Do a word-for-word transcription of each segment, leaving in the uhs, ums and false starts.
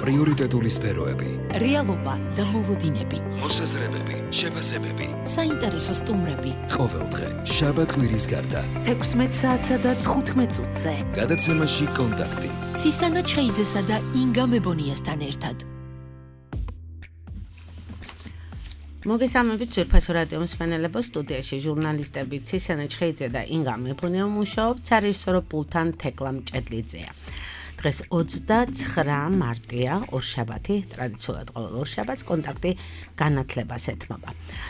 პრიორიტეტული სფეროები, რეალობა და მოლოდინები, მოსაზრებები, შეფასებები, საინტერესო სტუმრები. ყოველდღე შაბათ-კვირის გარდა თექვსმეტ საათსა და თხუთმეტ წუთზე. გადაცემაში კონტაქტი. ცისანა ჩხეიძესა და ინგა მებონიასთან ერთად. მოგესალმებით ძვირფასო რადიო მსმენელებო, სტუდიაში ჟურნალისტები ცისანა ჩხეიძე და ინგა მებონია მუშაობთ, სარეჟისორო პულტთან თეკლა მჭედლიძეა. დღეს ოცდაცხრა მარტია, ორშაბათი, ტრადიციულად ყოველ ორშაბათს კონტაქტი განათლებას ეთმობა.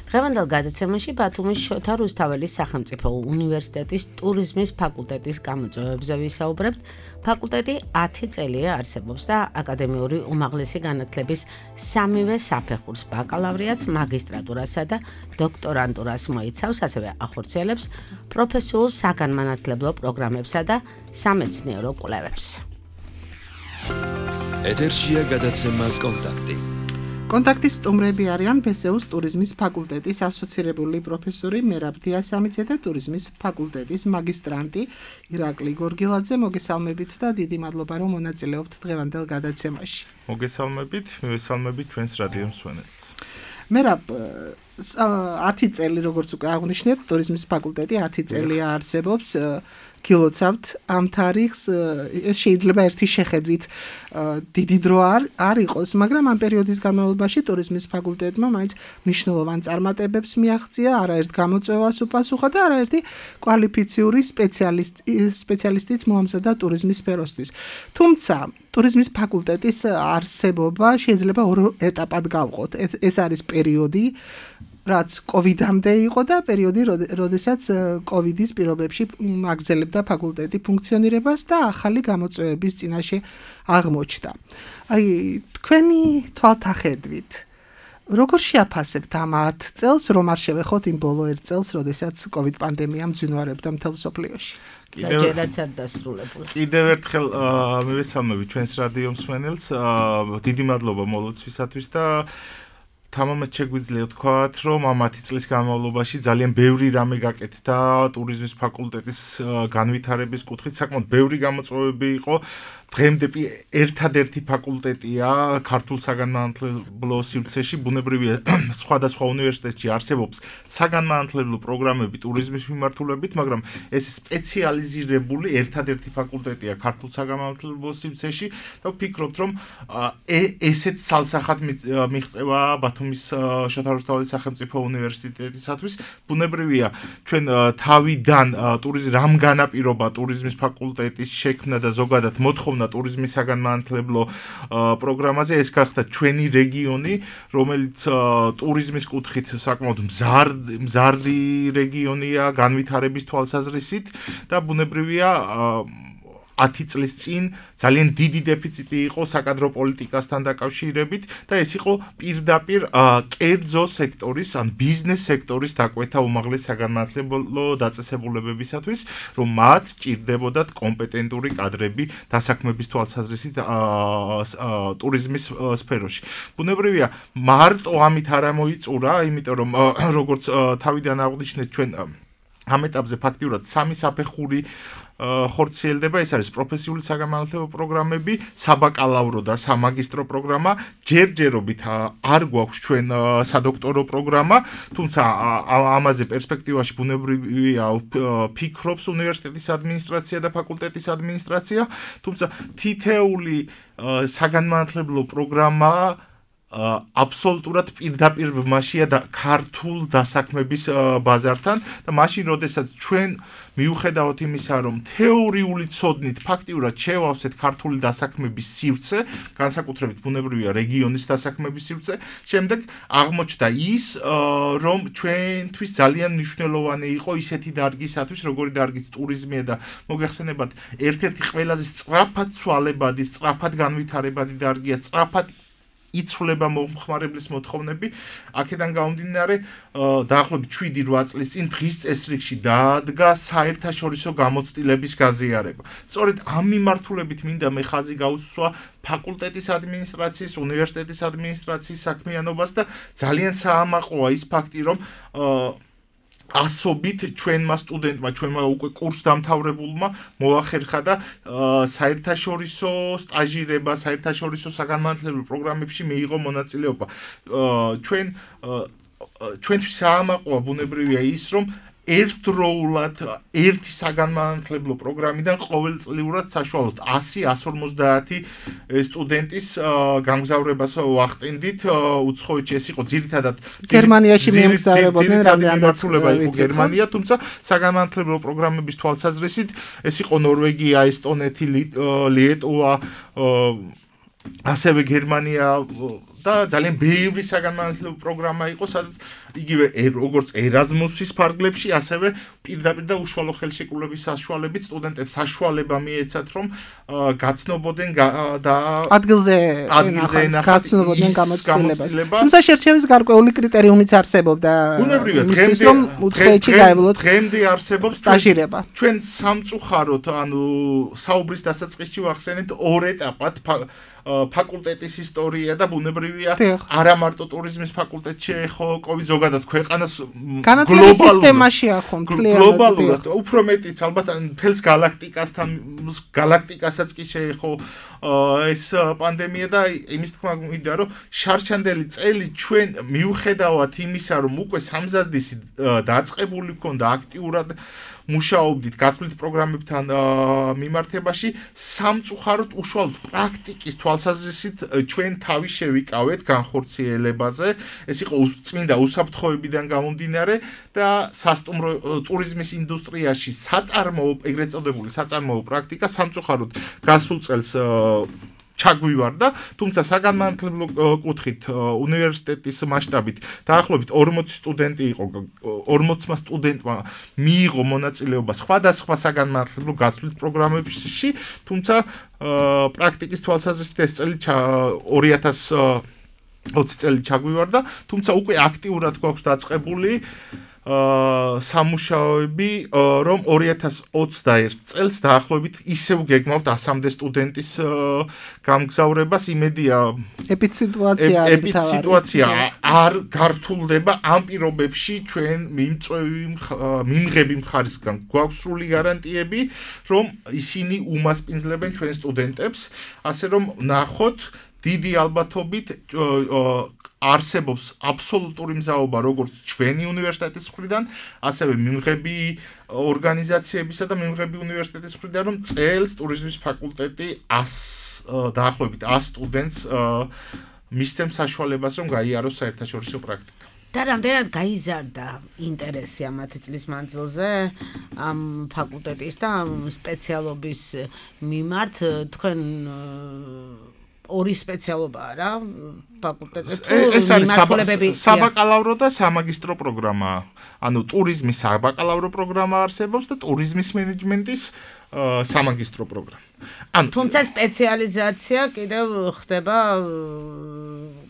დღევანდელ გადაცემაში ბათუმის შოთა რუსთაველის სახელმწიფო უნივერსიტეტის ტურიზმის ფაკულტეტის გამოწვევებზე ვისაუბრებთ. ფაკულტეტი ათი წელია არსებობს და აკადემიური უმაღლესი განათლების სამივე საფეხურს, ბაკალავრიატს, მაგისტრატურასა და დოქტორანტურას მოიცავს, ასევე ახორციელებს პროფესიულ საგანმანათლებლო პროგრამებსა და სამეცნიერო კვლევებს. ეთერშია გადაცემა კონტაქტი. კონტაქტის სტუმრები არიან ბესეუს ტურიზმის ფაკულტეტის ასოცირებული პროფესორი მერაბ დიასამიძე და ტურიზმის ფაკულტეტის მაგისტრანტი ირაკლი გორგილაძე. მოგესალმებით და დიდი მადლობა რომ მონაწილეობთ დღევანდელ გადაცემაში. მოგესალმებით, მივესალმებით ჩვენს რადიო მსმენელს. მერაბ ათი წელი როგორც უკვე აღნიშნეთ, ტურიზმის ფაკულტეტი ათი წელია არსებობს. გილოცავთ ამ თარიღს, ეს შეიძლება ერთი შეხედვით დიდი დრო არ იყოს, მაგრამ ამ პერიოდის განმავლობაში ტურიზმის ფაკულტეტმა მაინც მნიშვნელოვან წარმატებებს მიაღწია, არაერთ გამოწვევას უპასუხა და არაერთი კვალიფიციური სპეციალისტიც მოამზადა ტურიზმის სფეროსთვის. თუმცა ტურიზმის ფაკულტეტის არსებობა შეიძლება ორ ეტაპად გავყოთ. ეს არის პერიოდი, რაც კოვიდამდე იყო და პერიოდი, როდესაც კოვიდის პირობებში აგრძელებდა ფაკულტეტი ფუნქციონირებას და ახალი გამოწვევების წინაშე აღმოჩნდა. აი, თქვენი თვალთახედვით, როგორ შეაფასებთ ამ ათ წელს, რომ არ შევეხოთ იმ ბოლო ერთ წელს, როდესაც კოვიდ პანდემია მძინვარებდა მთელ მსოფლიოში? და ჯერაც არ დასრულებული. კიდევ ერთხელ მივესალმებით ჩვენს რადიო მსმენელს, დიდი მადლობა მოლოცვისათვის და თამამად შეგვიძლია ვთქვათ, რომ ამ ათი წლის განმავლობაში ძალიან ბევრი რამე გაკეთდა ტურიზმის ფაკულტეტის განვითარების კუთხით, საკმაოდ ბევრი გამოწვევები იყო. დღემდე ერთადერთი ფაკულტეტია ქართულ საგანმანათლებლო სივრცეში, ბუნებრივია სხვადასხვა უნივერსიტეტში არსებობს საგანმანათლებლო პროგრამები ტურიზმის მიმართულებით, მაგრამ ეს სპეციალიზირებული ერთადერთი ფაკულტეტია ქართულ საგანმანათლებლო სივრცეში და ვფიქრობთ, რომ ესეც ცალსახად მიღწევა ბათუმის შოთა რუსთაველის სახელმწიფო უნივერსიტეტისათვის. ბუნებრივია ჩვენ თავიდან ტურიზმ რამ განაპირობა ტურიზმის ფაკულტეტის შექმნა და ზოგადად მოთხოვნა ტურიზმის საგანმანათლებლო პროგრამაზე, ეს გახდა ჩვენი რეგიონი, რომელიც ტურიზმის კუთხით საკმაოდ მზარდი რეგიონია განვითარების თვალსაზრისით და ბუნებრივია ათი წლის წინ ძალიან დიდი დეფიციტი იყო საკადრო პოლიტიკასთან დაკავშირებით და ეს იყო პირდაპირ კერძო სექტორის ან ბიზნეს სექტორის დაკვეთა უმაღლეს საგანმანათლებლო დაწესებულებებისათვის, რომ მათ ჭირდებოდათ კომპეტენტური კადრები დასაქმების თვალსაზრისით ტურიზმის სფეროში. ბუნებრივია მარტო ამით არ მოიწურა, იმიტომ რომ როგორც თავიდან აღნიშნეთ, ჩვენ ამ ეტაპზე ფაქტიურად სამი საფეხური ხორციელდება, ეს არის პროფესიული საგანმანათლებლო პროგრამები, საბაკალავრო და სამაგისტრო პროგრამა. ჯერჯერობით არ გვაქვს ჩვენ სადოქტორო პროგრამა, თუმცა ამაზე პერსპექტივაში ბუნებრივია ფიქრობს უნივერსიტეტის ადმინისტრაცია და ფაკულტეტის ადმინისტრაცია, თუმცა თითეული საგანმანათლებლო პროგრამა აბსოლუტურად პირდაპირ ბმაშია და ქართულ დასაქმების ბაზართან და მაშინ, როდესაც ჩვენ მიუხედავად იმისა, რომ თეორიული ცოდნით ფაქტიურად შევავსეთ ქართული დასაქმების სივრცე, განსაკუთრებით ბუნებრივია რეგიონის დასაქმების სივრცე, შემდეგ აღმოჩნდა ის, რომ ჩვენთვის ძალიან მნიშვნელოვანი იყო ისეთი დარგისათვის, როგორი დარგის ტურიზმია და მოგეხსენებათ, ერთ-ერთი ყველაზე სწრაფად ცვალებადი, სწრაფად განვითარებადი დარგია, სწრაფად იცვლება მომხმარებლის მოთხოვნები. აქედან გამომდინარე, დაახლოებით შვიდი რვა წლის წინ დღის წესრიგში დადგა საერთაშორისო გამოცდილების გაზიარება. სწორედ ამ მიმართულებით მინდა მე ხაზი გაუსვა ფაკულტეტის ადმინისტრაციის, უნივერსიტეტის ადმინისტრაციის საქმიანობას და ძალიან საამაყოა ის ფაქტი, რომ ასობით ჩვენმა სტუდენტმა, ჩვენმა უკვე კურს დამთავრებულმა მოახერხა და საერთაშორისო სტაჟირება, საერთაშორისო საგანმანათლებლო პროგრამებში მიიღო მონაწილეობა. ჩვენ ჩვენთვის საამაყოა ბუნებრივია ის, რომ ერთდროულად ერთი საგანმანათლებლო პროგრამიდან ყოველწლიურად საშუალოდ ასი ასს ორმოცდაათი სტუდენტის გამგზავრებას ვახტენდით. უცხოეთში ეს იყო ძირითადად გერმანიაში მიემგზავრებოდნენ, რამდენადაც იყო გერმანია, თუმცა საგანმანათლებლო პროგრამების თვალსაზრისით ეს იყო ნორვეგია, ესტონეთი, ლიეტუვა, ასევე გერმანია და ძალიან ბევრი საგანმანათლებლო პროგრამა იყო, სადაც იგივე როგორც ერაზმუსის ფარგლებში, ასევე პირდაპირ და უშუალო ხელშეკრულების საშუალებით სტუდენტებს საშუალება მიეცათ, რომ გაცნობოდნენ და ადგილზე გაცნობოდნენ გამოცდილებას. თუმცა შერჩევის გარკვეული კრიტერიუმიც არსებობდა. ბუნებრივია, დღემდე რომ უცხოეთში გაევლოთ დღემდე არსებობს სტაჟირება. ჩვენ სამწუხაროდ, ანუ საუბრის დასაწყისში ვახსენეთ ორ ეტაპად ფაკულტეტის ისტორია და ბუნებრივია არა მარტო ტურიზმის ფაკულტეტში ეხო კოვიდ ზოგადად ქვეყანას განათლების სისტემაში ახო გლობალურად უფრო მეტიც ალბათ მთელს galaktikasთან galaktikаსაც კი შეეხო ეს პანდემია და იმის თქმა მინდა რომ შარშანდელი წელი ჩვენ მიუხედავად იმისა რომ უკვე სამზადისი დაწყებული ქონდა აქტიურად მუშაობდით გასვლით პროგრამებთან მიმართებაში სამწუხაროდ უშუალოდ პრაქტიკის თვალსაზრისით ჩვენ თავი შევიკავეთ განხორციელებაზე. ეს იყო წმინდა უსაფრთხოებიდან გამომდინარე და სასტუმრო ტურიზმის ინდუსტრიაში საწარმოო, ეგრეთ წოდებული საწარმოო პრაქტიკა სამწუხაროდ გასულ წელს ჩაგვივარდა, თუმცა საგანმანათლებლო კუთხით უნივერსიტეტის მასშტაბით დაახლოებით ორმოცი სტუდენტი იყო, ორმოცმა სტუდენტმა მიიღო მონაწილეობა სხვადასხვა საგანმანათლებლო გასვლის პროგრამებში, თუმცა პრაქტიკის თვალსაზრისით ეს წელი ორი ათას ოცი წელი ჩაგვივარდა, თუმცა უკვე აქტიურად გვაქვს დაწყებული სამუშაოები, რომ ორი ათას ოცდაერთ წელს დაახლოებით ისევ გეგმავთ ასამდე სტუდენტის გამგზავრებას. იმედია ეპიდსიტუაცია ეპიდსიტუაცია არ გართულდება ამ პირობებში ჩვენ მიმწვევი მიმღები მხარისგან გვაქვს სრული გარანტიები, რომ ისინი უმასპინძლებენ ჩვენ სტუდენტებს, ასე რომ ნახოთ დიდი ალბათობით არსებობს აბსოლუტური მზაობა როგორც ჩვენი უნივერსიტეტის მხრიდან, ასევე მიმღები ორგანიზაციებისა და მიმღები უნივერსიტეტის მხრიდან, რომ წელს ტურიზმის ფაკულტეტი ას დაახლოებით ას სტუდენტს მისცემს საშუალებას, რომ გაიაროს საერთაშორისო პრაქტიკა. და რამდენად გაიზარდა ინტერესი ამათი წლის მანძილზე ამ ფაკულტეტის და სპეციალობის მიმართ თქვენ ორი სპეციალობაა რა ფაკულტეტზე ეს არის საბაკალავრო და სამაგისტრო პროგრამა. ანუ ტურიზმის საბაკალავრო პროგრამა არსებობს და ტურიზმის მენეჯმენტის სამაგისტრო პროგრამა. ანუ თუმცა სპეციალიზაცია კიდევ ხდება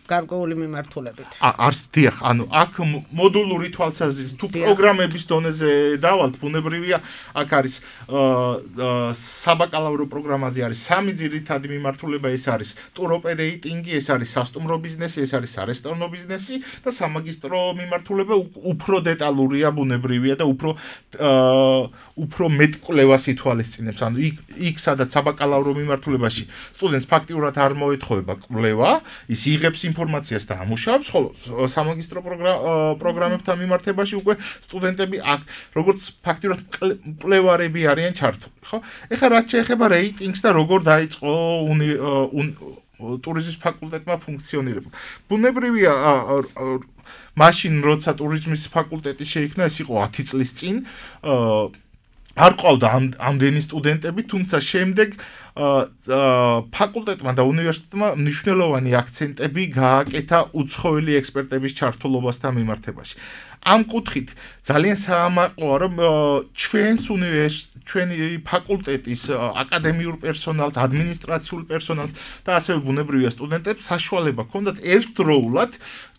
გარკვეული მიმართულებით. არც დიახ, ანუ აქ მოდულური თვალსაზრისით თუ პროგრამების დონეზე დავალთ, ბუნებრივია, აქ არის საბაკალავრო პროგრამაზე არის სამი ძირითადი მიმართულება, ეს არის ტუროპერეიტინგი, ეს არის სასტუმრო ბიზნესი, ეს არის სარესტორნო ბიზნესი და სამაგისტრო მიმართულება უფრო დეტალურია, ბუნებრივია და უფრო უფრო მეტ კვლევას ითვალისწინებს. ანუ იქ იქ სადაც საბაკალავრო მიმართულებაში სტუდენტს ფაქტიურად არ მოეთხოვება კვლევა, ის იღებს ინფორმაციას და ამუშავებს, ხოლო სამაგისტრო პროგრამებთან მიმართებაში უკვე სტუდენტები აქ როგორც ფაქტიურად კვლევარები არიან ჩართული, ხო? ეხლა რაც შეეხება რეიტინგს და როგორ დაიწყო ტურიზმის ფაკულტეტმა ფუნქციონირება. ბუნებრივია, მაშინ როცა ტურიზმის ფაკულტეტი შეიქმნა, ეს იყო ათი წლის წინ, არ ყავდა ამდენი სტუდენტები, თუმცა შემდეგ ფაკულტეტმა და უნივერსიტეტმა მნიშვნელოვანი აქცენტები გააკეთა უცხოელი ექსპერტების ჩართულობასთან მიმართებაში. ამ კუთხით ძალიან საამაყოა, რომ ჩვენს უნივერსიტეტს, ჩვენი ფაკულტეტის აკადემიურ პერსონალს, ადმინისტრაციულ პერსონალს და ასევე ბუნებრივია სტუდენტებს საშუალება ჰქონდათ ერთდროულად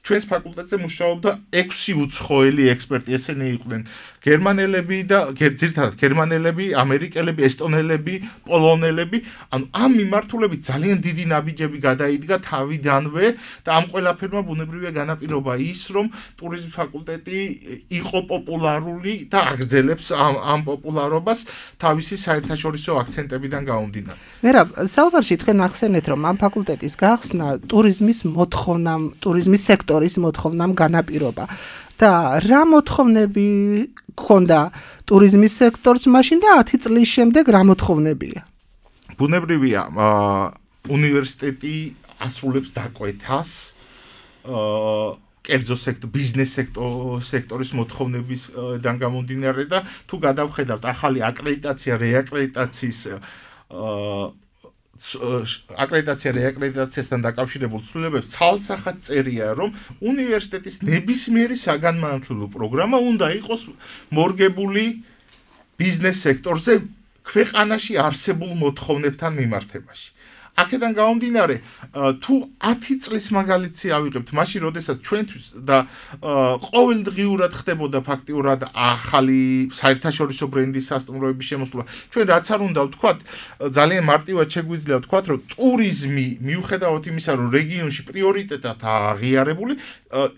ჩვენს ფაკულტეტზე მუშაობდა ექვსი უცხოელი ექსპერტი, ესენი იყვნენ გერმანელები და ძირითადად გერმანელები, ამერიკელები, ესტონელები, პოლონელები. ანუ ამ მიმართულებით ძალიან დიდი ნაბიჯები გადაიდგა თავიდანვე და ამ ყველაფერმა ბუნებრივია განაპირობა ის, რომ ტურიზმის ფაკულტეტი უნივერსიტეტი იყო პოპულარული და აგრძელებს ამ ამ პოპულარობას თავისი საერთაშორისო აქცენტებიდან გამომდინარე. მერაბ, საუბარში თქვენ ახსენეთ, რომ ამ ფაკულტეტის გახსნა ტურიზმის მოთხოვნამ, ტურიზმის სექტორის მოთხოვნამ განაპირობა. და რა მოთხოვნები გქონდა ტურიზმის სექტორს მაშინ და ათი წლის შემდეგ რა მოთხოვნებია? ბუნებრივია, უნივერსიტეტი ასრულებს დაკვეთას კერძო სექტორ, ბიზნეს სექტორის მოთხოვნებისგან გამომდინარე და თუ გადავხედავთ ახალი აკრედიტაცია, რეაკრედიტაციის აკრედიტაცია რეაკრედიტაციასთან დაკავშირებულ ცვლილებებს ცალსახად წერია, რომ უნივერსიტეტის ნებისმიერი საგანმანათლებლო პროგრამა უნდა იყოს მორგებული ბიზნეს სექტორზე ქვეყანაში არსებულ მოთხოვნებთან მიმართებაში. აქედან გამომდინარე, თუ ათი წლის მაგალითი ავიღებთ, მაშინ როდესაც ჩვენთვის და ყოველდღიურად ხდებოდა ფაქტიურად ახალი საერთაშორისო ბრენდის სასტუმროების შემოსვლა, ჩვენ რაც არ უნდა ვთქვათ, ძალიან მარტივად შეგვიძლია ვთქვათ, რომ ტურიზმი, მიუხედავად იმისა, რომ რეგიონში პრიორიტეტად აღიარებული,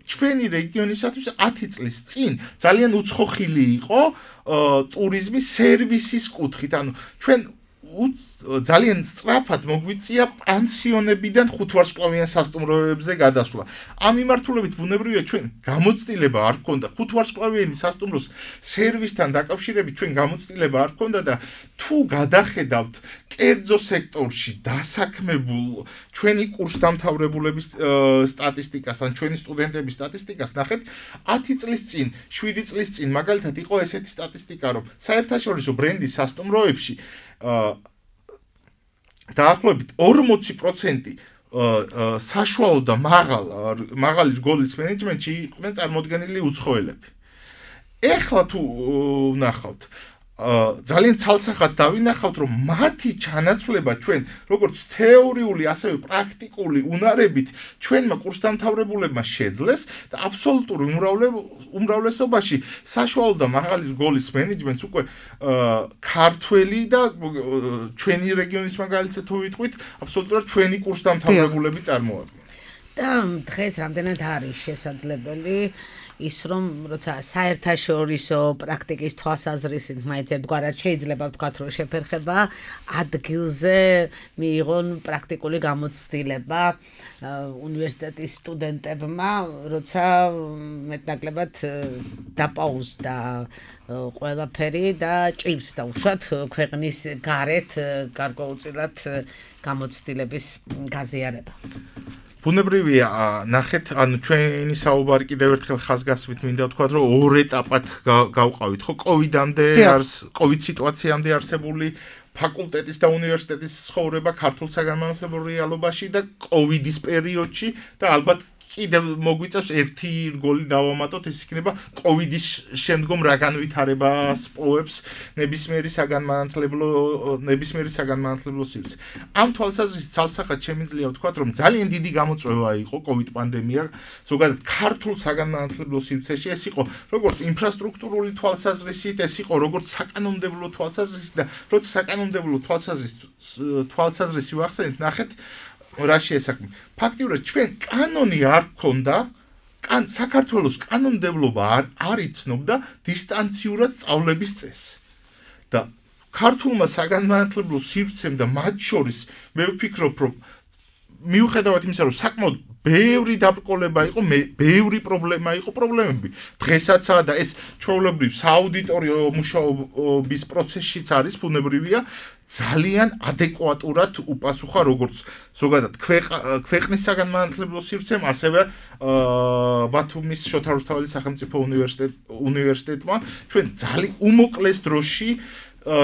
ჩვენი რეგიონისათვის ათი წლის წინ ძალიან უცხოხილი იყო ტურიზმის სერვისის კუთხით. ანუ ჩვენ ძალიან სწრაფად მოგვიწია პანსიონებიდან ხუთვარსკვლავიან სასტუმროებზე გადასვლა. ამ მიმართულებით ბუნებრივია ჩვენ გამოცდილება არ გქონდა ხუთვარსკვლავიანი სასტუმროს სერვისთან დაკავშირებით ჩვენ გამოცდილება არ გქონდა და თუ გადახედავთ კერძო სექტორში დასაქმებულ ჩვენი კურსდამთავრებულების სტატისტიკას ან ჩვენი სტუდენტების სტატისტიკას ნახეთ ათი წლის წინ, შვიდი წლის წინ მაგალითად იყო ესეთი სტატისტიკა, რომ საერთაშორისო ბრენდის სასტუმროებში დაახლოებით ორმოცი პროცენტი საშუალო და მაღალ მაღალი რგოლის მენეჯმენტში იყვნენ წარმოდგენილი უცხოელები. ეხლა თუ ვნახავთ ძალიან ცალსახად დავინახავთ, რომ მათი ჩანაცვლება ჩვენ როგორც თეორიული, ასევე პრაქტიკული უნარებით ჩვენმა კურსდამთავრებულებმა შეძლეს და აბსოლუტურ უმრავლესობაში საშუალო და მაღალი რგოლის მენეჯმენტს უკვე ქართველი და ჩვენი რეგიონის მაგალითზე თუ ვიტყვით, აბსოლუტურად ჩვენი კურსდამთავრებულები წარმოადგენენ. და დღეს რამდენად არის შესაძლებელი ის რომ როცა საერთაშორისო პრაქტიკის თვალსაზრისით მაინც ერთგვარად შეიძლება ვთქვათ, რომ შეფერხება ადგილზე მიიღონ პრაქტიკული გამოცდილება უნივერსიტეტის სტუდენტებმა, როცა მეტნაკლებად დაპაუზდა ყველაფერი და ჭირს დაუშვათ ქვეყნის გარეთ გარკვეულწილად გამოცდილების გაზიარება. ბუნებრივია, ნახეთ, ანუ ჩვენი საუბარი კიდევ ერთხელ ხაზგასმით მინდა ვთქვათ, რომ ორ ეტაპად გავყავით, ხო, კოვიდამდე არის, კოვიდ სიტუაციამდე არსებული ფაკულტეტის და უნივერსიტეტის ცხოვრება ქართულ საგანმანათლებლო რეალობაში და კოვიდის პერიოდში და ალბათ კიდევ მოგვიწევს ერთი რგოლი დავამატოთ, ეს იქნება კოვიდის შემდგომ რა განვითარებას პოებს ნებისმიერი საგანმანათლებლო ნებისმიერი საგანმანათლებლო სივრცე. ამ თვალსაზრისით ცალსახად შემიძლია ვთქვათ, რომ ძალიან დიდი გამოწვევა იყო კოვიდ პანდემია, ზოგადად ქართულ საგანმანათლებლო სივრცეში, ეს იყო როგორც ინფრასტრუქტურული თვალსაზრისით, ეს იყო როგორც საკანონმდებლო თვალსაზრისით და როცა საკანონმდებლო თვალსაზრისით თვალსაზრისი ვახსენეთ, ნახეთ რა შეესაბამება. ფაქტიურად ჩვენ კანონი არ გქონდა, კან საქართველოს კანონმდებლობა არ არ იცნობდა დისტანციურად სწავლების წესს. და ქართულმა საგანმანათლებლო სივრცემ და მათ შორის მე ვფიქრობ, რომ მიუხედავად იმისა, რომ საკმაოდ ბევრი დაბრკოლება იყო, ბევრი პრობლემა იყო, პრობლემები დღესაც და ეს ჩვეულებრივ სააუდიტორიო მუშაობის პროცესშიც არის ბუნებრივია, ძალიან ადეკვატურად უპასუხა როგორც ზოგადად ქვეყნის საგანმანათლებლო სივრცემ, ასევე ბათუმის შოთა რუსთაველის სახელმწიფო უნივერსიტეტმა ჩვენ ძალიან უმოკლეს დროში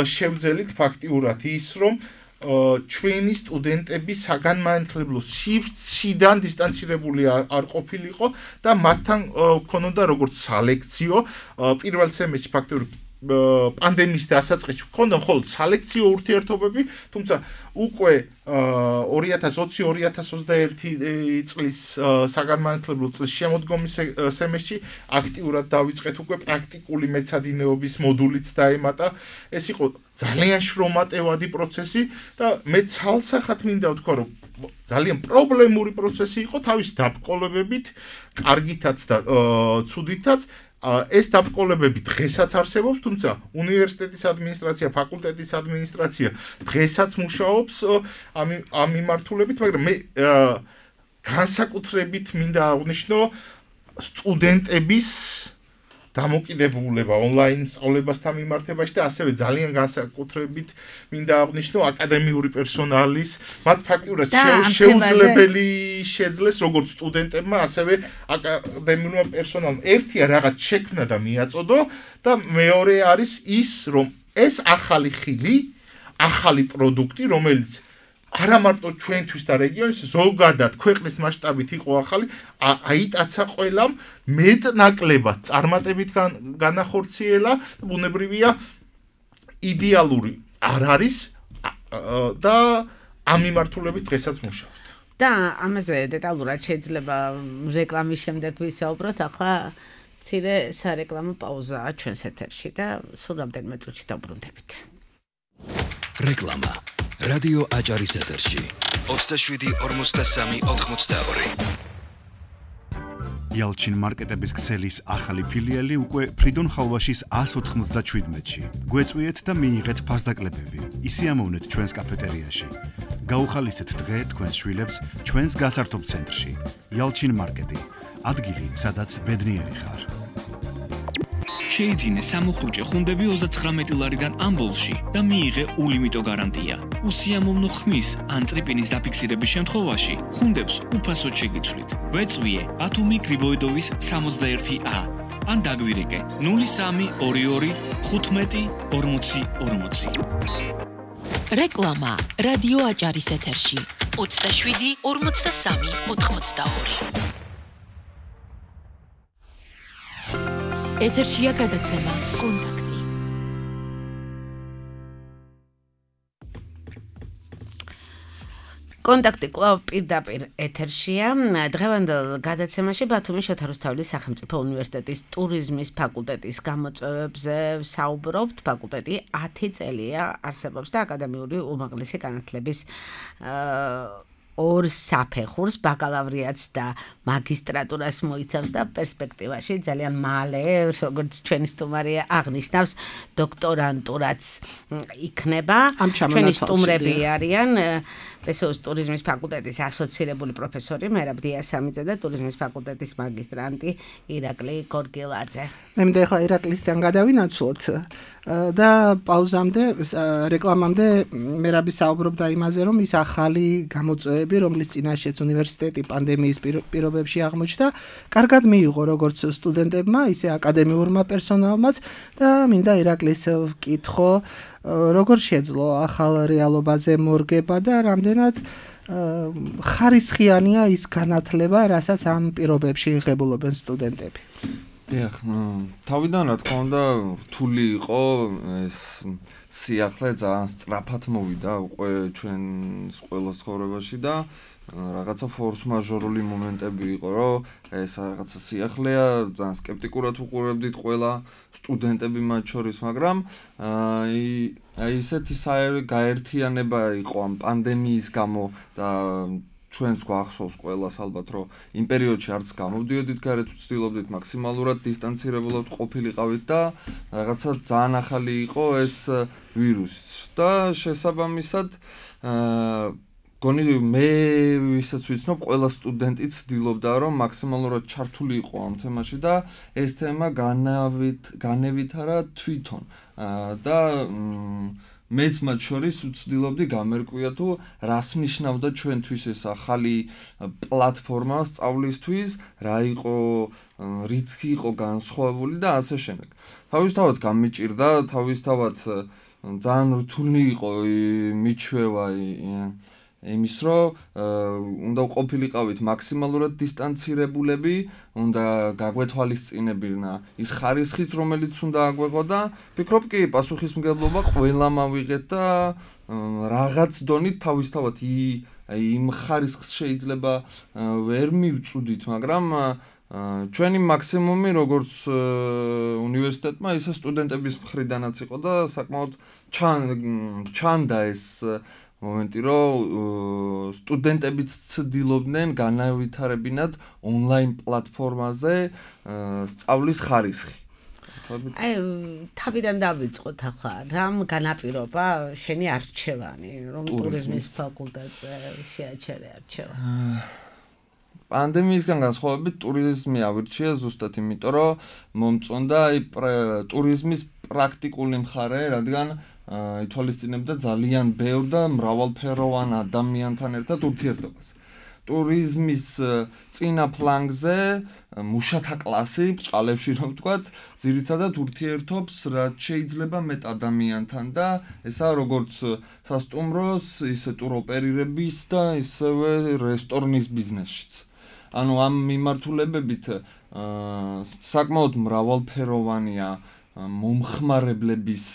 შევძელით ფაქტიურად ის, რომ ჩვენი სტუდენტები საგანმანათლებლო სივრციდან დისტანცირებული არ ყოფილიყო და მათთან ქონოდა როგორც სალექციო პირველ სემესტრში ფაქტიურად პანდემიის დასაწყისში ქონდა მხოლოდ სალექციო ურთიერთობები, თუმცა უკვე ორი ათას ოცი ორი ათას ოცდაერთი წლის საგანმანათლებლო წლის შემოდგომის სემესტრში აქტიურად დავიწყეთ უკვე პრაქტიკული მეცადინეობის მოდულიც დაემატა. ეს იყო ძალიან შრომატევადი პროცესი და მე ცალსახად მინდა ვთქვა, რომ ძალიან პრობლემური პროცესი იყო თავის დაბრკოლებებით, კარგითაც და ცუდითაც. ეს დაბრკოლებები დღესაც არსებობს, თუმცა უნივერსიტეტის ადმინისტრაცია, ფაკულტეტის ადმინისტრაცია დღესაც მუშაობს ამ ამ მიმართულებით, მაგრამ მე განსაკუთრებით მინდა აღვნიშნო სტუდენტების დამოკიდებულება ონლაინ სწავლებასთან მიმართებაში და ასევე ძალიან განსაკუთრებით მინდა აღვნიშნო აკადემიური პერსონალის მათ ფაქტურად შეუძლებელი შეძლეს როგორც სტუდენტებმა, ასევე აკადემიურმა პერსონალმა ერთია რაღაც შექმნა და მიაწოდო და მეორე არის ის, რომ ეს ახალი ხილი, ახალი პროდუქტი, რომელიც არა მარტო ჩვენთვის და რეგიონის ზოგადად ქვეყნის მასშტაბით იყო ახალი, აიტაცა ყველამ მეტნაკლებად წარმატებით განახორციელა, ბუნებრივია იდეალური არ არის და ამ მიმართულებით დღესაც მუშაობთ. და ამაზე დეტალურად შეიძლება რეკლამის შემდეგ ვისაუბროთ, ახლა მცირე სარეკლამო პაუზაა ჩვენს ეთერში და სულ რამდენიმე წუთში დავბრუნდებით. რეკლამა რადიო აჭარის ეთერში ოცდაშვიდი ორმოცდასამი ოთხმოცდაორი. Yalchin მარკეტების ქსელის ახალი ფილიალი უკვე ფრიდონ ხალვაშის ას ოთხმოცდაშვიდმეტში. გვეწვიეთ და მიიღეთ ფასდაკლებები. ისიამოვნეთ ჩვენს კაფეტერიაში. გაუხალისეთ დღე თქვენს შვილებს ჩვენს გასართობ ცენტრში. Yalchin მარკეტი. ადგილი, სადაც ბედნიერი ხარ. შეიძინე სამუხრუჭე ხუნდები ოცდათხრამეტი ლარიდან ამბოლში და მიიღე ულიმიტო გარანტია. უსიამოვნო ხმის ან წრიპინის დაფიქსირების შემთხვევაში ხუნდებს უფასოდ შეგიცვლით. ვეწვიე ათომი გრიბოიდოვის სამოცდაერთი ა ან დაგვირეკე ნული სამი ორი ორი ხუთმეტი ორმოცი ორმოცი. რეკლამა რადიო აჭარის ეთერში ოცდაშვიდი ორმოცდასამი ოთხმოცდაორი. ეთერშია გადაცემა კონტაქტი. კონტაქტი კვლავ პირდაპირ ეთერშია. დღევანდელ გადაცემაში ბათუმის შოთა რუსთაველის სახელმწიფო უნივერსიტეტის ტურიზმის ფაკულტეტის გამოწვევებზე საუბრობთ. ფაკულტეტი ათი წელია არსებობს და აკადემიური უმაღლესი განათლების ორ საფეხურს, ბაკალავრიატს და მაგისტრატურას მოიცავს და პერსპექტივაში ძალიან მალე, როგორც ჩვენი სტუმარია აღნიშნავს, დოქტორანტურაც იქნება. ჩვენი სტუმრები არიან პესოს ტურიზმის ფაკულტეტის ასოცირებული პროფესორი მერაბ დიასამიძე და ტურიზმის ფაკულტეტის მაგისტრანტი ირაკლი გორგილაძე. მე მინდა ახლა ირაკლისთან გადავინაცვლოთ და პაუზამდე, რეკლამამდე მერაბი საუბრობდა იმაზე, რომ ის ახალი გამოწვევები, რომლის წინაშეც უნივერსიტეტი პანდემიის პირობებში აღმოჩნდა, კარგად მიიღო როგორც სტუდენტებმა, ისე აკადემიურმა პერსონალმაც და მინდა ირაკლის ვკითხო, როგორ შეძლო ახალ რეალობაზე მორგება და რამდენად ხარისხიანია ის განათლება, რასაც ამ პირობებში იღებულობენ სტუდენტები. დიახ, თავიდან რა თქმა უნდა, რთული იყო ეს სიახლე ძალიან სწრაფად მოვიდა უკვე ჩვენს ყველა ცხოვრებაში და რაღაცა ფორს მაჟორული მომენტები იყო, რომ ეს რაღაცა სიახლეა, ძალიან სკეპტიკურად უყურებდით ყველა სტუდენტები მათ შორის, მაგრამ აი აი ესეთი გაერთიანება იყო ამ პანდემიის გამო და ჩვენს გვახსოვს ყველას ალბათ, რომ იმ პერიოდში არც გამოვდიოდით გარეთ, ვცდილობდით მაქსიმალურად დისტანცირებულად ყოფილიყავით და რაღაცა ძალიან ახალი იყო ეს ვირუსი და შესაბამისად გონი მე ვისაც ვიცნობ, ყველა სტუდენტი ცდილობდა, რომ მაქსიმალურად ჩართული იყო ამ თემაში და ეს თემა განავით განევითარა თვითონ და მეც მათ შორის ვცდილობდი გამერკვია თუ რას ნიშნავდა ჩვენთვის ეს ახალი პლატფორმა სწავლისთვის, რა იყო, რით იყო განსხვავებული და ასე შემდეგ. თავისთავად გამიჭირდა, თავისთავად ძალიან რთული იყო მიჩვევა იმის, რომ უნდა ყოფილიყავით მაქსიმალურად დისტანცირებულები, უნდა გაგვეთვალისწინებინა ის ხარისხიც, რომელიც უნდა აგვეღო და ვფიქრობ კი პასუხისმგებლობა ყველამ ავიღეთ და რაღაც დონით თავისთავად იმ ხარისხს შეიძლება ვერ მივწუდით, მაგრამ ჩვენი მაქსიმუმი როგორც უნივერსიტეტმა, ისე სტუდენტების მხრიდანაც იყო და საკმაოდ ჩანდა ეს მომენტი, რომ სტუდენტებიც ცდილობდნენ განავითარებინათ ონლაინ პლატფორმაზე სწავლის ხარისხი. აი, თავიდან დავიწყოთ ახლა, რამ განაპირობა შენი არჩევანი, რომ ტურიზმის ფაკულტეტზე შეაჩერე არჩევა? პანდემიისგან განსხვავებით ტურიზმი ავირჩია ზუსტად იმიტომ, რომ მომწონდა აი ტურიზმის პრაქტიკული მხარე, რადგან ითვალისწინებდა ძალიან ბევრ და მრავალფეროვან ადამიანთან ერთად ურთიერთობას. ტურიზმის წინა ფლანგზე მუშათა კლასი, ბჭყალებში რომ ვთქვათ, ძირითადად ურთიერთობს რაც შეიძლება მეტ ადამიანთან და ესაა როგორც სასტუმროს, ისე ტუროპერირების და ისევე რესტორნის ბიზნესშიც. ანუ ამ მიმართულებებით საკმაოდ მრავალფეროვანია მომხმარებლების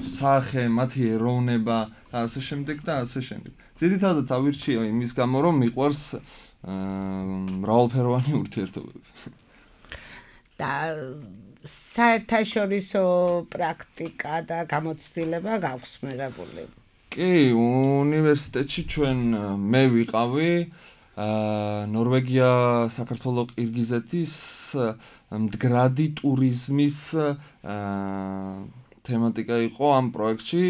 სახე, მათი ეროვნება და ასე შემდეგ და ასე შემდეგ. ძირითადად ავირჩია იმის გამო, რომ მიყვარს მრავალფეროვანი ურთიერთობები. და საერთაშორისო პრაქტიკა და გამოცდილება გაქვს მიღებული? კი, უნივერსიტეტში ჩვენ მე ვიყავი ნორვეგია, საქართველო, ყირგიზეთის მდგრადი ტურიზმის თემატიკა იყო ამ პროექტში,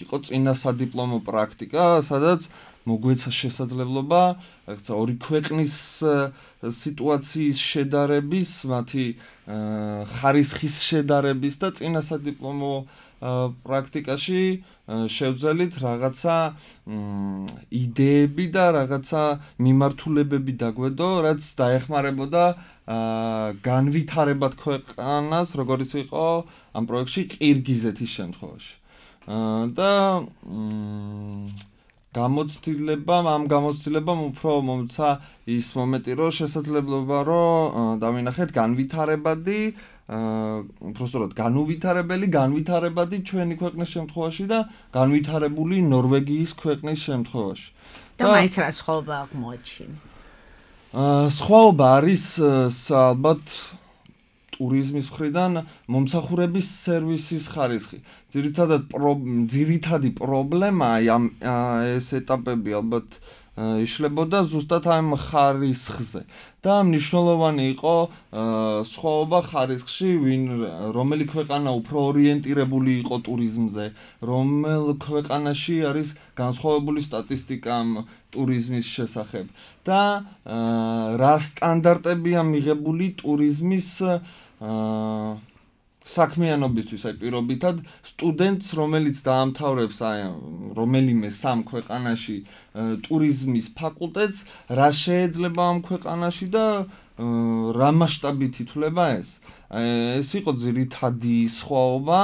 იყო წინა სადიპლომო პრაქტიკა, სადაც მოგვეცა შესაძლებლობა, რაღაცა ორი ქვეყნის სიტუაციის შედარების, მათი ხარისხის შედარების და წინა სადიპლომო პრაქტიკაში შევძელით რაღაცა იდეები და რაღაცა მიმართულებები დაგვედო, რაც დაეხმარებოდა განვითარებად ქვეყანას, როგორც იყო ამ პროექტში ყირგიზეთის შემთხვევაში. და გამოცდილებამ, ამ გამოცდილებამ უფრო მომცა ის მომენტი, რომ შესაძლებლობა, რომ დავინახეთ განვითარებადი, უბრალოდ განუვითარებელი, განვითარებადი ჩვენი ქვეყნის შემთხვევაში და განვითარებული ნორვეგიის ქვეყნის შემთხვევაში. და მაინც რა სხვაობა აღმოაჩინე? სხვაობა არის ალბათ ტურიზმის მხრიდან მომსახურების სერვისის ხარისხი. ძირითადად ძირითადი პრობლემაა ამ ეს ეტაპები ალბათ იშლებოდა ზუსტად ამ ხარისხზე. და მნიშვნელოვანი იყო სხვაობა ხარისხში, ვინ რომელი ქვეყანა უფრო ორიენტირებული იყო ტურიზმზე, რომელ ქვეყანაში არის განსხვავებული სტატისტიკა ამ ტურიზმის შესახებ და რა სტანდარტებია მიღებული ტურიზმის საქმიანობისთვის, აი პირობითად სტუდენტს, რომელიც დაამთავრებს აი რომელიმე სამ ქვეყანაში ტურიზმის ფაკულტეტს, რა შეიძლება ამ ქვეყანაში და რა მასშტაბით ითვლება ეს. ეს იყო ძირითადი სხვაობა,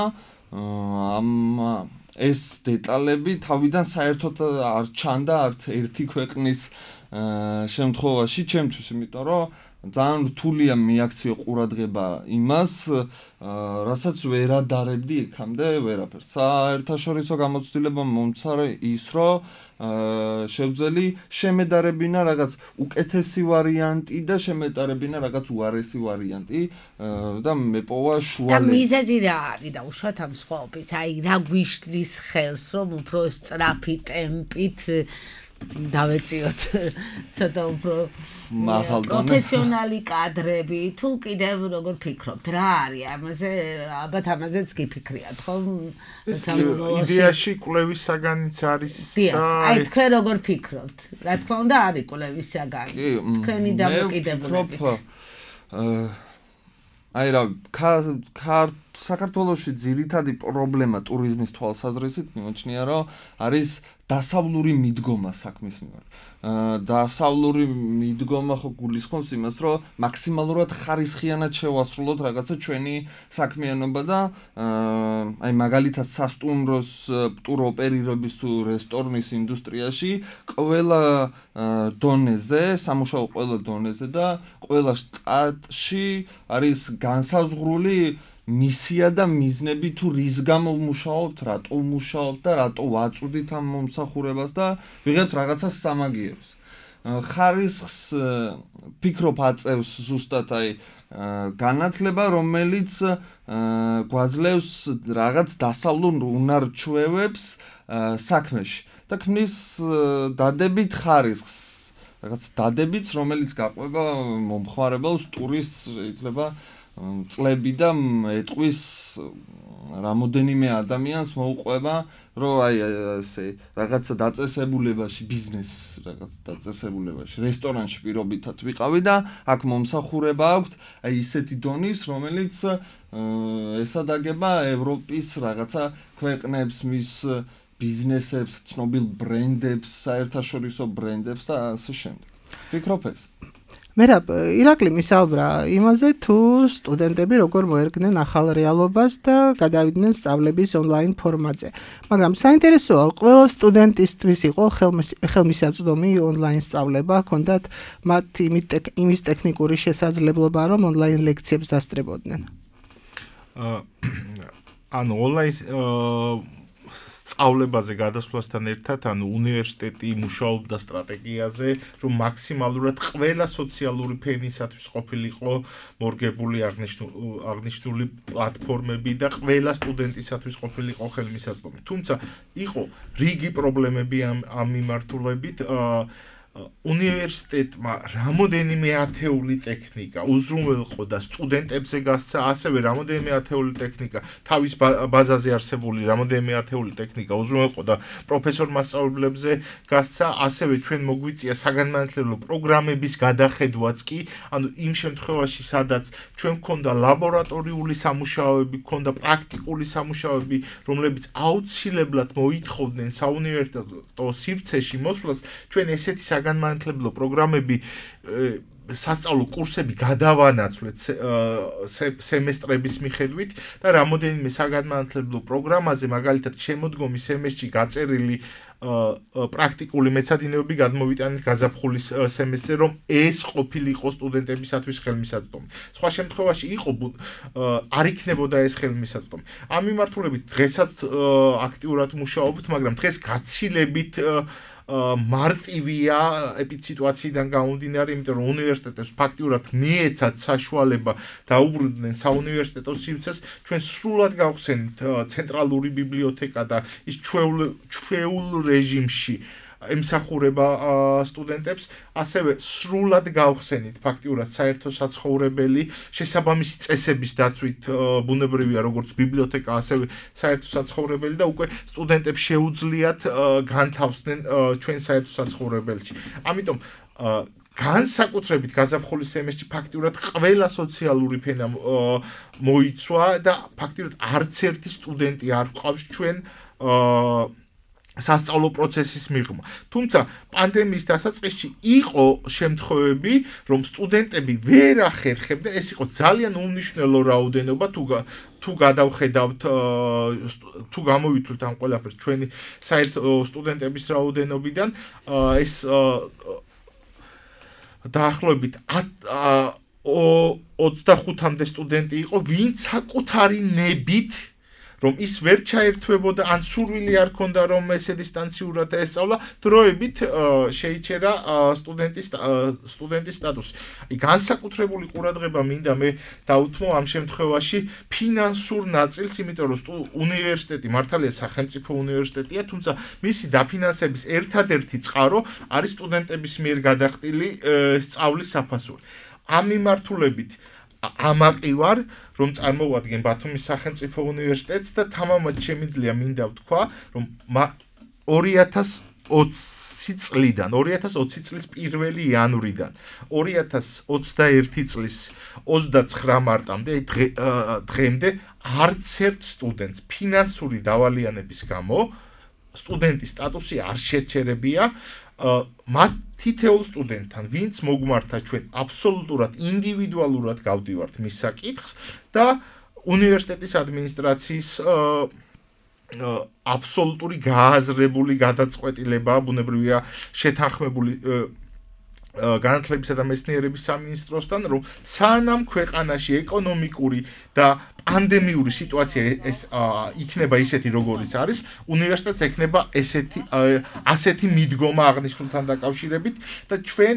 ამ ეს დეტალები თავიდან საერთოდ არ ჩანდა არც ერთი ქვეყნის შემთხვევაში ჩემთვის, იმიტომ რომ ძალიან რთულია მიაქციო ყურადღება იმას, რასაც ვერ ადარებდი იქამდე ვერაფერს. საერთაშორისო გამოცდილება მომცა ის, რომ შევძელი შემედარებინა რაღაც უკეთესი ვარიანტი და შემედარებინა რაღაც უარესი ვარიანტი და მეპოვა შუალე. და მიზეზი რა არის და უშუალოდ ამ სხვაობის? აი რა გვიშლის ხელს, რომ უფრო სწრაფი ტემპით დავეციოთ ცოტა უფრო პროფესიონალი კადრები, თუ კიდევ როგორ ფიქრობთ, რა არის ამაზე? ალბათ ამაზეც გიფიქრიათ, ხომ? იდეაში კვლევის საგანიც არის და აი თქვენ როგორ ფიქრობთ? რა თქმა უნდა არის კვლევის საგანი. თქვენი დამოკიდებულებით. აი რა, საქართველოში ძირითადი პრობლემა ტურიზმის თვალსაზრისით მიმოჩნია, რომ არის დასავლური მიდგომა საქმის მიმართ. დასავლური მიდგომა ხო გულისხმობს იმას, რომ მაქსიმალურად ხარისხიანად შევასრულოთ რაღაცა ჩვენი საქმიანობა და აი მაგალითად სასტუმროს ტუროპერირების თუ რესტორნის ინდუსტრიაში ყველა დონეზე, სამუშაო ყველა დონეზე და ყველა შტატში არის განსაზღვრული მისია და მიზნები თუ რის გამო ვმუშაობთ, რატო ვმუშაობთ და რატო ვაწვდით ამ მომსახურებას და ვიღებთ რაღაცას სამაგიეროს. ხარისხს ფიქრობ აწევს ზუსტად აი განათლება, რომელიც გვაძლევს რაღაც დასავლურ უნარ ჩვევებს, საქმეში და ქმნის დადებით ხარისხს რაღაც დადებიც რომელიც გაყვება მომხმარებელს ტურისტს შეიძლება წლები და ეტყვის რამოდენიმე ადამიანს მოუყვება რომ აი ესე რაღაც დაწესებულებაში ბიზნეს რაღაც დაწესებულებაში რესტორანში პირობითად ვიყავი და აქ მომსახურება აქვს აი ისეთი დონის რომელიც ესადაგება ევროპის რაღაცა ქვეყნებს მის ბიზნესებს ცნობილ ბრენდებს საერთაშორისო ბრენდებს და ასე შემდეგ ვფიქრობ ეს მერაბ ირაკლი მისაუბრა იმაზე თუ სტუდენტები როგორ მოერგნენ ახალ რეალობას და გადავიდნენ სწავლების ონლაინ ფორმატზე. მაგრამ საინტერესოა, ყველა სტუდენტისთვის იყო ხელმისაწვდომი ონლაინ სწავლება, ჰქონდათ მათ იმის ტექნიკური შესაძლებლობა, რომ ონლაინ ლექციებს დასწრებოდნენ. ანუ ონლაინ სწავლებაზე გადასვლასთან ერთად, ანუ უნივერსიტეტი მუშაობდა სტრატეგიაზე, რომ მაქსიმალურად ყველა სოციალური ფენისათვის ყოფილიყო მორგებული აღნიშნული პლატფორმები და ყველა სტუდენტისათვის ყოფილიყო ხელმისაწვდომი. თუმცა იყო რიგი პრობლემები ამ ამ მიმართულებით, უნივერსიტეტმა რამოდენიმე ათეული ტექნიკა უზრუნველყო და სტუდენტებზე გასცა, ასევე რამოდენიმე ათეული ტექნიკა თავის ბაზაზე არსებული რამოდენიმე ათეული ტექნიკა უზრუნველყო და პროფესორ მასწავლებლებზე გასცა, ასევე ჩვენ მოგვიწია საგანმანათლებლო პროგრამების გადახედვაც კი, ანუ იმ შემთხვევაში, სადაც ჩვენ გქონდა ლაბორატორიული სამუშაოები, გქონდა პრაქტიკული სამუშაოები, რომლებიც აუცილებლად მოითხოვდნენ საუნივერსიტეტო სივრცეში მოსვლას, ჩვენ ესეთი საგანმანათლებლო პროგრამები სასწავლო კურსები გადავანაცვლეთ სემესტრების მიხედვით და რამოდენიმე საგანმანათლებლო პროგრამაზე მაგალითად შემოდგომი სემესტრში გაწერილი პრაქტიკული მეცადინეობები გადმოვიტანეთ გაზაფხულის სემესტრზე, რომ ეს ყოფილიყო სტუდენტებისათვის ხელმისაწვდომი. სხვა შემთხვევაში იყო არ იქნებოდა ეს ხელმისაწვდომი. ამ მიმართულებით დღესაც აქტიურად მუშაობთ, მაგრამ დღეს გაცილებით მარტივია ეპიდსიტუაციიდან გამომდინარე, იმიტომ რომ უნივერსიტეტებს ფაქტიურად მიეცათ საშუალება დაუბრუნდნენ საუნივერსიტეტო სივრცეს, ჩვენ სრულად გავხსენით ცენტრალური ბიბლიოთეკა და ის ჩვეულ რეჟიმში ემსახურება სტუდენტებს, ასევე სრულად გავხსენით ფაქტიურად საერთო საცხოვრებელი, შესაბამისი წესების დაცვით ბუნებრივია როგორც ბიბლიოთეკა, ასევე საერთო საცხოვრებელი და უკვე სტუდენტებს შეუძლიათ განთავსდნენ ჩვენ საერთო საცხოვრებელში. ამიტომ განსაკუთრებით გაზაფხულის სემესტრში ფაქტიურად ყველა სოციალური ფენა მოიცვა და ფაქტიურად არც ერთი სტუდენტი არ გვყავს ჩვენ სასწავლო პროცესის მიღმა. თუმცა პანდემიის დასაწყისში იყო შემთხვევები, რომ სტუდენტები ვერ ახერხებდნენ, ეს იყო ძალიან უმნიშვნელო რაოდენობა თუ თუ გადავხედავთ თუ გამოვიტვლით ამ ყველაფერს ჩვენი საერთო სტუდენტების რაოდენობიდან, ეს დაახლოებით ოცდახუთამდე სტუდენტი იყო, ვინც საკუთარი ნებით რომ ის ვერ ჩაერთვებოდა, ან სურვილი არ ქონდა, რომ ესე დისტანციურად ესწავლა, დროებით შეიჩერა სტუდენტის სტუდენტის სტატუსი. აი განსაკუთრებული ყურადღება მინდა მე დაუთმო ამ შემთხვევაში ფინანსურ ნაწილს, იმიტომ რომ უნივერსიტეტი მართალია სახელმწიფო უნივერსიტეტია, თუმცა მისი დაფინანსების ერთადერთი წყარო არის სტუდენტების მიერ გადახდილი სწავლის საფასური. ამ მიმართულებით ამაყი ვარ, რომ წარმოვადგენ ბათუმის სახელმწიფო უნივერსიტეტს და თამამად შემიძლია მინდა ვთქვა, რომ ორი ათას ოცი წლიდან, ორი ათას ოცი წლის პირველი იანვრიდან, ორი ათას ოცდაერთი წლის ოცდაცხრა მარტამდე, დღემდე არც ერთ სტუდენტს ფინანსური დავალიანების გამო სტუდენტის სტატუსი არ შეჩერებია. მათ თითოეულ სტუდენტთან, ვინც მოგმართა ჩვენ აბსოლუტურად ინდივიდუალურად გავდივართ მის საკითხს და უნივერსიტეტის ადმინისტრაციის აბსოლუტური გააზრებული გადაწყვეტილება, ბუნებრივია შეთანხმებული განათლებისა და მეცნიერების სამინისტროსთან, რომ სანამ ქვეყანაში ეკონომიკური და პანდემიური სიტუაცია ეს იქნება ისეთი როგორიც არის, უნივერსიტეტს ექნება ესეთი ასეთი მიდგომა აღნიშნულთან დაკავშირებით და ჩვენ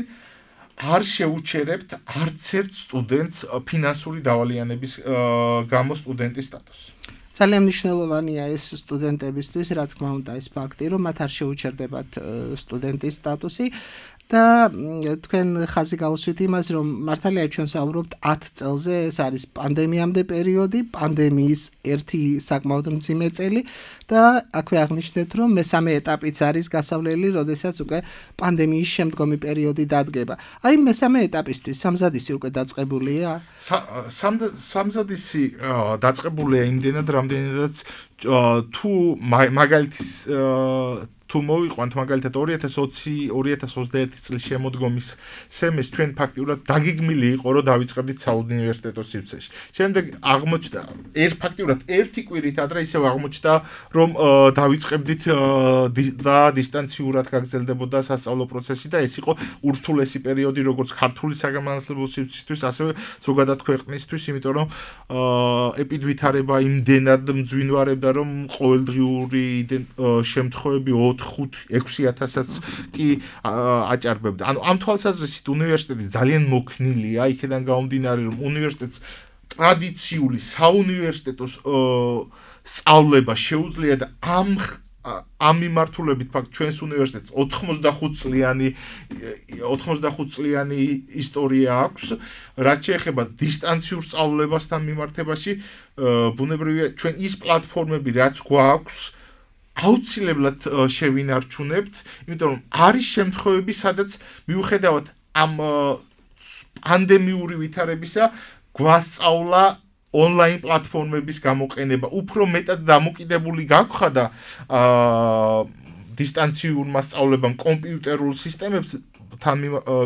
არ შეუჩერებთ არც ერთ სტუდენტს ფინანსური დავალიანების გამო სტუდენტის სტატუსი. ძალიან მნიშვნელოვანია ეს სტუდენტებისთვის, რა თქმა უნდა, ეს ფაქტი, რომ მათ არ შეუჩერდებათ სტუდენტის სტატუსი. და თქვენ ხაზი გაუსვით იმას, რომ მართალია ჩვენ საუბრობთ ათ წელზე, ეს არის პანდემიამდე პერიოდი, პანდემიის ერთი საკმაოდ მძიმე წელი და აქვე აღნიშნეთ, რომ მესამე ეტაპიც არის გასავლელი, როდესაც უკვე პანდემიის შემდგომი პერიოდი დადგება. აი მესამე ეტაპისთვის სამზადისი უკვე დაწყებულია? სამზადისი დაწყებულია იმდენად, რამდენადაც თუ მაგალითის თუ მოვიყვანთ მაგალითად ორი ათას ოცი ორი ათას ოცდაერთი წლის შემოდგომის სემესტრს ჩვენ ფაქტიურად დაგეგმილი იყო რომ დავიწყებდით საუნივერსიტეტო სივრცეში. შემდეგ აღმოჩნდა ერთ ფაქტიურად ერთი კვირით ადრე ისევ აღმოჩნდა რომ დავიწყებდით და დისტანციურად გაგრძელდებოდა სასწავლო პროცესი და ეს იყო ურთულესი პერიოდი როგორც ქართული საგანმანათლებლო სივრცისთვის ასევე ზოგადად ქვეყნისთვის, იმიტომ რომ ეპიდვითარება იმდენად მძვინვარებდა რომ ყოველდღიური შემთხვევები ხუთი ექვსი ათასაც კი აჭარბებდა. ანუ ამ თვალსაზრისით უნივერსიტეტი ძალიან მოქნილია, იქიდან გამომდინარე რომ უნივერსიტეტს ტრადიციული საუნივერსიტეტო სწავლება შეუძლია და ამ ამ მიმართულებით ფაქტ ჩვენს უნივერსიტეტს ოცდახუთ წლიანი ოცდახუთ წლიანი ისტორია აქვს, რაც შეეხება დისტანციურ სწავლებასთან მიმართებაში, ბუნებრივია ჩვენ ის პლატფორმები რაც გვაქვს აუცილებლად შევინარჩუნებთ, იმიტომ რომ არის შემთხვევები, სადაც მიუხედავად ამ პანდემიური ვითარებისა, გვასწავლა ონლაინ პლატფორმების გამოყენება, უფრო მეტად დამოკიდებული გაგხადა დისტანციურმა სწავლებამ კომპიუტერულ სისტემებზე თან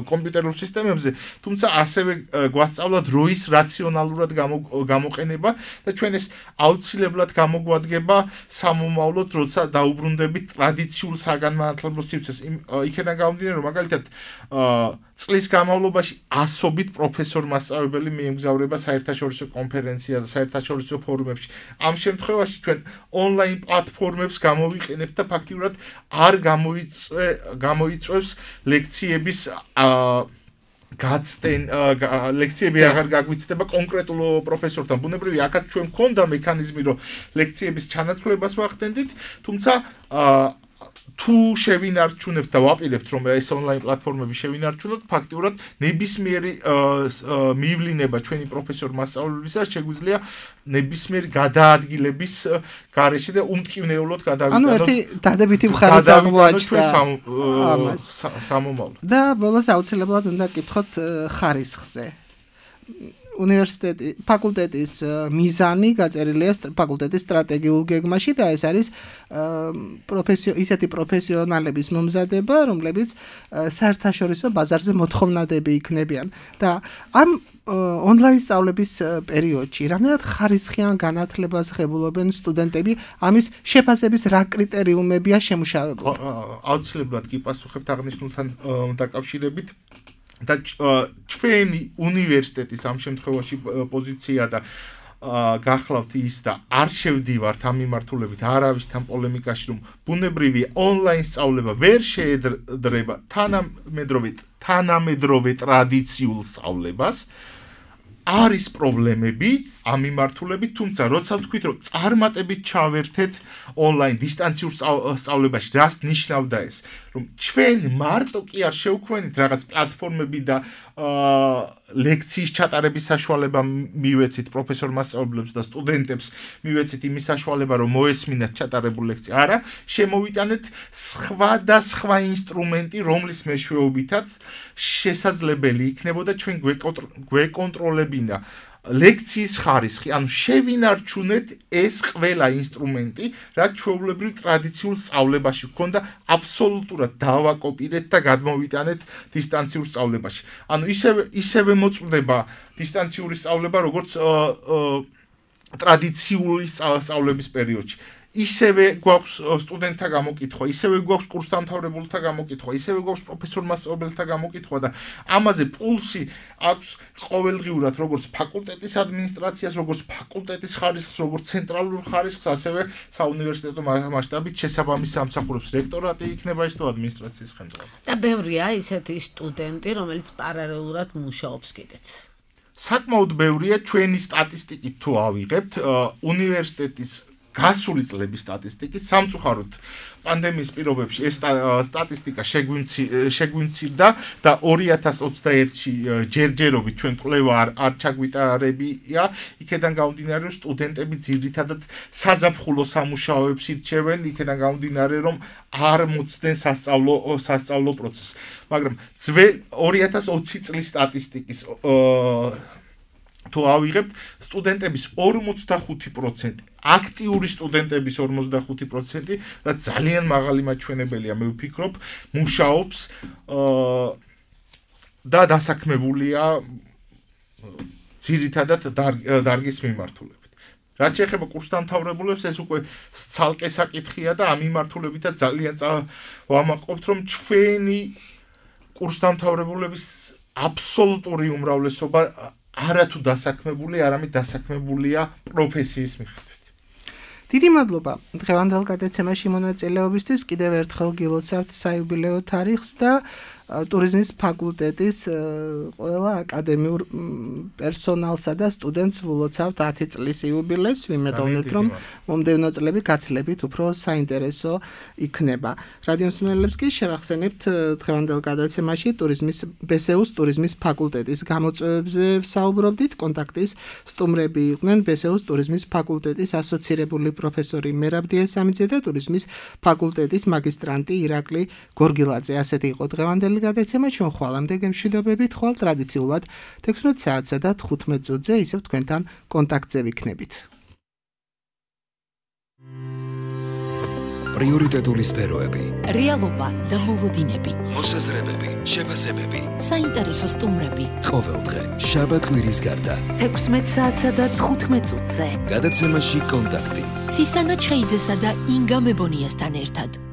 კომპიუტერულ სისტემებზე, თუმცა ასევე გვასწავლა დროის რაციონალურად გამოყენება და ჩვენ ეს აუცილებლად გამოგვადგება სამომავლოდ, როცა დაუბრუნდებით ტრადიციულ საგანმანათლებლო სივრცეს. იქიდან გამომდინარე, რომ მაგალითად წლის განმავლობაში ასობით პროფესორ-მასწავლებელი მიემგზავრება საერთაშორისო კონფერენციაზე, საერთაშორისო ფორუმებში. ამ შემთხვევაში ჩვენ ონლაინ პლატფორმებს გამოვიყენებთ და ფაქტიურად არ გამოიწვევს ლექციების გაცდენ ლექციები აღარ გაგვიცდება კონკრეტულ პროფესორთან. ბუნებრივია, აქაც ჩვენ გვქონდა მექანიზმი, რომ ლექციების ჩანაცვლებას ვახდენდით, თუმცა თუ შევინარჩუნებთ და ვაპირებთ რომ ეს ონლაინ პლატფორმები შევინარჩუნოთ, ფაქტიურად ნებისმიერი მივლინება ჩვენი პროფესორ-მასწავლებელისა შეგვიძლია ნებისმიერი გადაადგილების გარეშე და უმტკივნეულოდ გადავიდანოთ. ანუ ერთი დადებითი მხარეც აღმოაჩნდა ამას სამომავლოდ. და ბოლოს აუცილებლად უნდა გკითხოთ ხარისხზე. უნივერსიტეტი ფაკულტეტის მიზანი გაწერილია ფაკულტეტის სტრატეგიულ გეგმაში და ეს არის პროფესიო ისეთი პროფესიონალების მომზადება, რომლებიც საერთაშორისო ბაზარზე მოთხოვნადები იქნებიან და ამ ონლაინ სწავლების პერიოდში რამდენად ხარისხიან განათლებას ღებულობენ სტუდენტები, ამის შეფასების რა კრიტერიუმებია შემუშავებული? აუცილებლად კი პასუხებთ აღნიშნულთან დაკავშირებით. და ჩვენი უნივერსიტეტის ამ შემთხვევაში პოზიცია და გახლავთ ის და არ შევდივართ ამ მიმართულებით არავისთან პოლემიკაში, რომ ბუნებრივია ონლაინ სწავლება ვერ შეედრება თანამედროვე თანამედროვე ტრადიციულ სწავლებას. არის პრობლემები ამ მიმართულებით, თუმცა როცა ვთქვით, რომ წარმატებით ჩავერთეთ ონლაინ დისტანციურ სწავლებაში, რას ნიშნავდა ეს? რომ ჩვენ მარტო კი არ შევქმნით რაღაც პლატფორმები და ლექციის ჩატარების საშუალება მივეცით პროფესორ-მასწავლებლებს და სტუდენტებს მივეცით იმის საშუალება, რომ მოესმინათ ჩატარებული ლექცია. არა, შემოვიტანეთ სხვადასხვა ინსტრუმენტი, რომლის მეშვეობითაც შესაძლებელი იქნებოდა ჩვენ გვეკონტროლებინა ლექციის ხარისხი, ანუ შევინარჩუნეთ ეს ყველა ინსტრუმენტი, რაც ჩვეულებრივ ტრადიციულ სწავლებაში გვქონდა, აბსოლუტურად დავაკოპირეთ და გადმოვიტანეთ დისტანციურ სწავლებაში. ანუ ისევე ისევე მოწმდება დისტანციური სწავლება, როგორც ტრადიციული სწავლების პერიოდში. ისევე გვაქვს სტუდენტთა გამოკითხვა, ისევე გვაქვს კურსდამთავრებულთა გამოკითხვა, ისევე გვაქვს პროფესორ-მასწავლებლთა გამოკითხვა და ამაზე პულსი აქვს ყოველდღიურად როგორც ფაკულტეტის ადმინისტრაციას, როგორც ფაკულტეტის ხარისხს, როგორც ცენტრალურ ხარისხს, ასევე საუნივერსიტეტო მასშტაბით შესაბამის სამსახურებს რექტორატი იქნება ის თუ ადმინისტრაციის ხელმძღვანელი. და ბევრია ისეთი სტუდენტი, რომელიც პარალელურად მუშაობს კიდეც. საკმაოდ ბევრია ჩვენი სტატისტიკით თუ ავიღებთ უნივერსიტეტის გასული წლების სტატისტიკის სამწუხაროდ პანდემიის პირობებში ეს სტატისტიკა შეგვიმცირდა და ორი ათას ოცდაერთში ჯერჯერობით ჩვენ კვლევა არ არ ჩაგვიტარებია იქედან გამომდინარე რომ სტუდენტები ძირითადად საზაფხულო სამუშაოებს ირჩევენ იქედან გამომდინარე რომ არ მოწდნენ სასწავლო სასწავლო პროცესს მაგრამ ძველ ორი ათას ოცი წლის სტატისტიკის თუ ავიღებთ სტუდენტების ორმოცდახუთი პროცენტი აქტიური სტუდენტების ორმოცდახუთი პროცენტი და ძალიან მაღალი მაჩვენებელია მე ვფიქრობ მუშაობს და დასაქმებულია ძირითადად დარგის მიმართულებით რაც შეეხება კურსდამთავრებულებს ეს უკვე ცალკე საკითხია და ამ მიმართულებითაც ძალიან ვამაყობთ რომ ჩვენი კურსდამთავრებულების აბსოლუტური უმრავლესობა არათუ დასაქმებული, არამედ დასაქმებულია პროფესიის მიხედვით. დიდი მადლობა დღევანდელ გადაცემაში მონაწილეობისთვის. კიდევ ერთხელ გილოცავთ საიუბილეო თარიღს და ტურიზმის ფაკულტეტის ყველა აკადემიურ პერსონალსა და სტუდენტს ვილოცავთ ათი წლის იუბილეს. ვიმედოვნებთ, რომ მომდევნო წლები გაცილებით უფრო საინტერესო იქნება. რადიო მსმენელებს კი შევახსენებთ დღევანდელ გადაცემაში ტურიზმის ბესეუს ტურიზმის ფაკულტეტის გამოწვევებზე საუბრობდით. კონტაქტის სტუმრები იყვნენ ბესეუს ტურიზმის ფაკულტეტის ასოცირებული პროფესორი მერაბ დიასამიძე და ტურიზმის ფაკულტეტის მაგისტრანტი ირაკლი გორგილაძე. ასეთი იყო დღევანდელი გადაცემა ჩვენ ხვალამდე გემშვიდობებით ხვალ ტრადიციულად თექვსმეტ საათსა და თხუთმეტ წუთზე ისევ თქვენთან კონტაქტზე ვიქნებით. პრიორიტეტული სფეროები, რეალობა და მოლოდინები, მოსაზრებები, შეფასებები, საინტერესო სტუმრები. ყოველდღე შაბათ-კვირის გარდა თექვსმეტ საათსა და თხუთმეტ წუთზე გადაცემაში კონტაქტი ცისანა ჩხეიძესა და ინგა მებონიასთან ერთად.